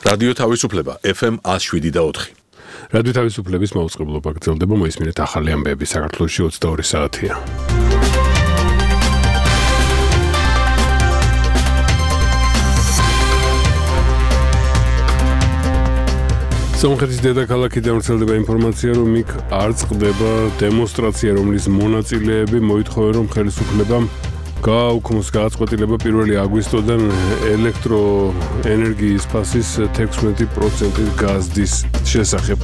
რადიო თავისუფლება FM 107.4. რადიო თავისუფლების მაუწყებლობა გრძელდება, მოისმინეთ ახალი ამბები საქართველოში 22 საათია. სომხეთის დედაქალაქიდან ვრცელდება ინფორმაცია, რომ იქ არ წყდება დემონსტრაცია, რომლის მონაწილეები მოითხოვენ, რომ ხელისუფლებამ გააუქმოს გადაწყვეტილება 1 აგვისტოდან ელექტროენერგიის ფასის 16% გაზდის შესახებ.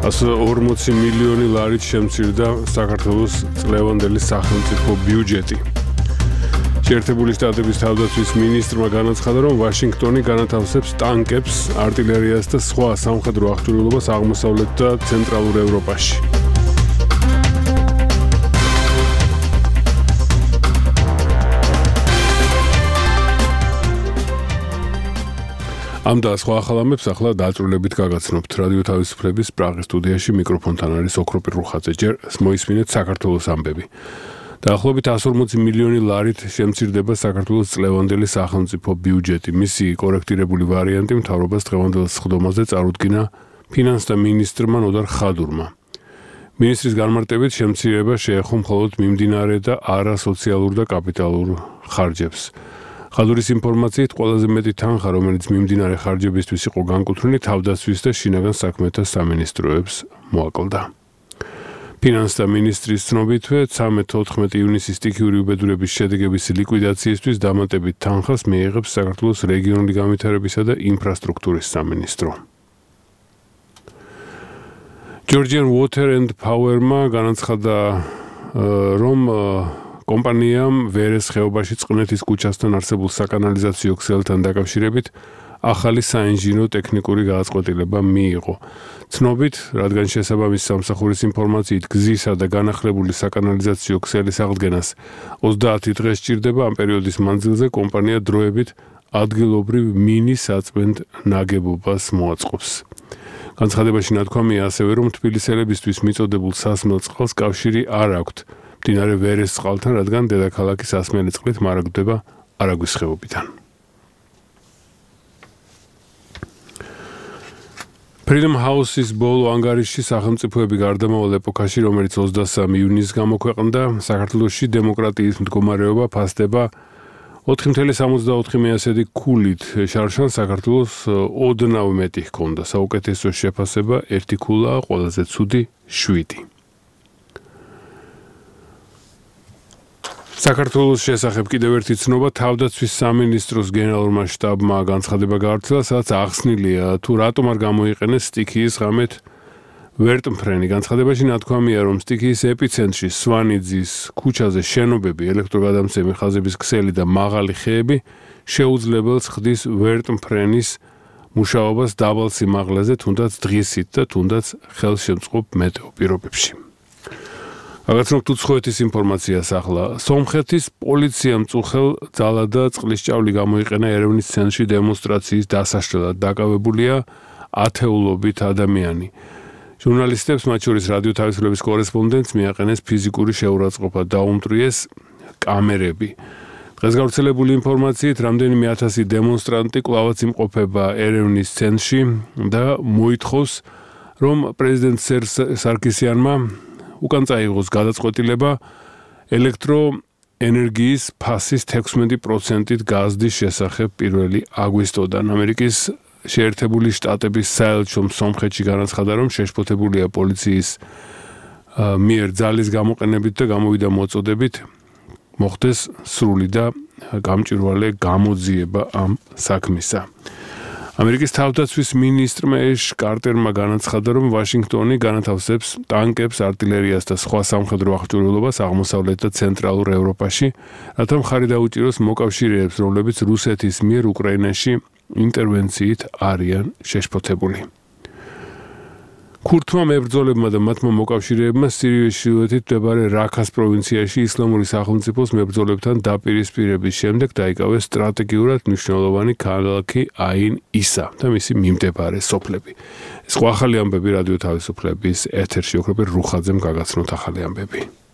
140 მილიონი ლარით შემცირდა საქართველოს წლევანდელი სახელმწიფო ბიუჯეტი. შეერთებული შტატების თავდაცვის მინისტრმა განაცხადა, რომ ვაშინგტონი განათავსებს ტანკებს, არტილერიას და სხვა სამხედრო აღჭურვილობას აღმოსავლეთ და ცენტრალურ ევროპაში. ამ და სხვა ახალ ამბებს ახლა დაწვრილებით გაგაცნობთ. რადიო თავისუფლების პრაღის სტუდიაში მიკროფონთან არის ოქროპირ რუხაძე. ჯერ მოისმინეთ საქართველოს ამბები. დაახლოებით 140 მილიონი ლარით შემცირდება საქართველოს წლევანდელი სახელმწიფო ბიუჯეტი. მისი კორექტირებული ვარიანტი მთავრობას დღევანდელ სხდომაზე წარუდგინა ფინანსთა მინისტრმა ნოდარ ხადურმა. მინისტრის განმარტებით შემცირება შეეხო მხოლოდ მიმდინარე და არასოციალურ და კაპიტალურ ხარჯებს. ხადურის ინფორმაციით ყველაზე მეტი თანხა, რომელიც მიმდინარე ხარჯებისთვის იყო განკუთვნილი, თავდაცვის და შინაგან საქმეთა სამინისტროებს მოაკლდა. ფინანსთა მინისტრის ცნობითვე 13-14 ივნისის სტიქიური უბედურების შედეგების ლიკვიდაციისთვის დამატებით თანხას მიიღებს საქართველოს რეგიონული განვითარებისა და ინფრასტრუქტურის სამინისტრო. Georgian Water and Power-მა განაცხადა, რომ კომპანიამ ვერეს ხეობაში წყნეთის ქუჩასთან არსებულ საკანალიზაციო ქსელთან დაკავშირებით ახალი საინჟინრო ტექნიკური გადაწყვეტილება მიიღო. ცნობით, რადგან შესაბამის სამსახურის ინფორმაციით გზისა და განახლებული საკანალიზაციო ქსელის აღდგენას 30 დღე სჭირდება, ამ პერიოდის მანძილზე კომპანია დროებით ადგილობრივ მინისაწმენდ ნაგებობას მოაწყობს. განცხადებაში ნათქვამია ასევე, რომ თბილისელებისთვის მიწოდებულ სასმელ წყალს კავშირი არ აქვთ მდინარე ვერეს წყალთან, რადგან დედაქალაქის სასმელი წყლით მარაგდება არაგვის ხეობიდან. Freedom House-ის ბოლო ანგარიშში სახელმწიფოები გარდამავალ ეპოქაში, რომელიც 23 ივნისს გამოქვეყნდა, საქართველოში დემოკრატიის მდგომარეობა ფასდება 4.64 ქულით. შარშან საქართველოს ოდნავ მეტი ჰქონდა. საუკეთესო შეფასება 1 ქულაა, ყველაზე ცუდი 7. საქართველოს შესახებ კიდევ ერთი ცნობა, თავდაცვის სამინისტროს გენერალურმა შტაბმა განცხადება გაავრცელა, სადაც ახსნილია, თუ რატომ არ გამოიყენეს სტიქიის ღამეთ ვერტმფრენი. განცხადებაში ნათქვამია, რომ სტიქიის ეპიცენტრში სვანიძის ქუჩაზე შენობები, ელექტროგადამცემი ხაზების ქსელი და მაღალი ხეები შეუძლებელს ხდის ვერტმფრენის მუშაობას დაბალ სიმაღლეზე, თუნდაც დღისით და თუნდაც ხელშემწყობ მეტეო პირობებში. გაგაცნობთ უცხოეთის ინფორმაციას ახლა. სომხეთის პოლიციამ წუხელ ძალა და წყლის ჭავლი გამოიყენა ერევნის ცენტრში დემონსტრაციის დასაშლელად. დაკავებულია ათეულობით ადამიანი. ჟურნალისტებს, მათ შორის რადიო თავისუფლების კორესპონდენტს მიაყენეს ფიზიკური შეურაცხყოფა, დაუმტვრიეს კამერები. დღეს გავრცელებული ინფორმაციით, რამდენიმე 1000 დემონსტრანტი კვლავაც იმყოფება ერევნის ცენტრში და მოითხოვს, რომ პრეზიდენტ სარკისიანმა უკან წაიღოს გადაწყვეტილება ელექტროენერგიის ფასის 16%-ით გაზდის შესახებ 1 აგვისტოდან. ამერიკის შეერთებული შტატების საელჩომ სომხეთში განაცხადა, რომ შეშფოთებულია პოლიციის მიერ ძალის გამოყენებით და გამოვიდა მოწოდებით მოხდეს სრული და გამჭვირვალე გამოძიება ამ საქმისა. ამერიკის თავდაცვის მინისტრმა ეშ კარტერმა განაცხადა, რომ ვაშინგტონი განათავსებს ტანკებს, არტილერიას და სხვა სამხედრო აღჭურვილობას აღმოსავლეთ და ცენტრალურ ევროპაში, რათა მხარი დაუჭიროს მოკავშირეებს, რომლებიც რუსეთის მიერ უკრაინაში ინტერვენციით არიან შეშფოთებული. ქურთმა მებრძოლებმა და მათმა მოკავშირეებმა სირიის ჩრდილოეთით მდებარე რაქას პროვინციაში ისლამური სახელმწიფოს მებრძოლებთან დაპირისპირების შემდეგ დაიკავეს სტრატეგიურად მნიშვნელოვანი ქალაქი აინ-ისა და მისი მიმდებარე სოფლები. ეს ახალი ამბები რადიო თავისუფლების ეთერში ოქროპირ რუხაძემ გაგაცნოთ ახალი ამბები.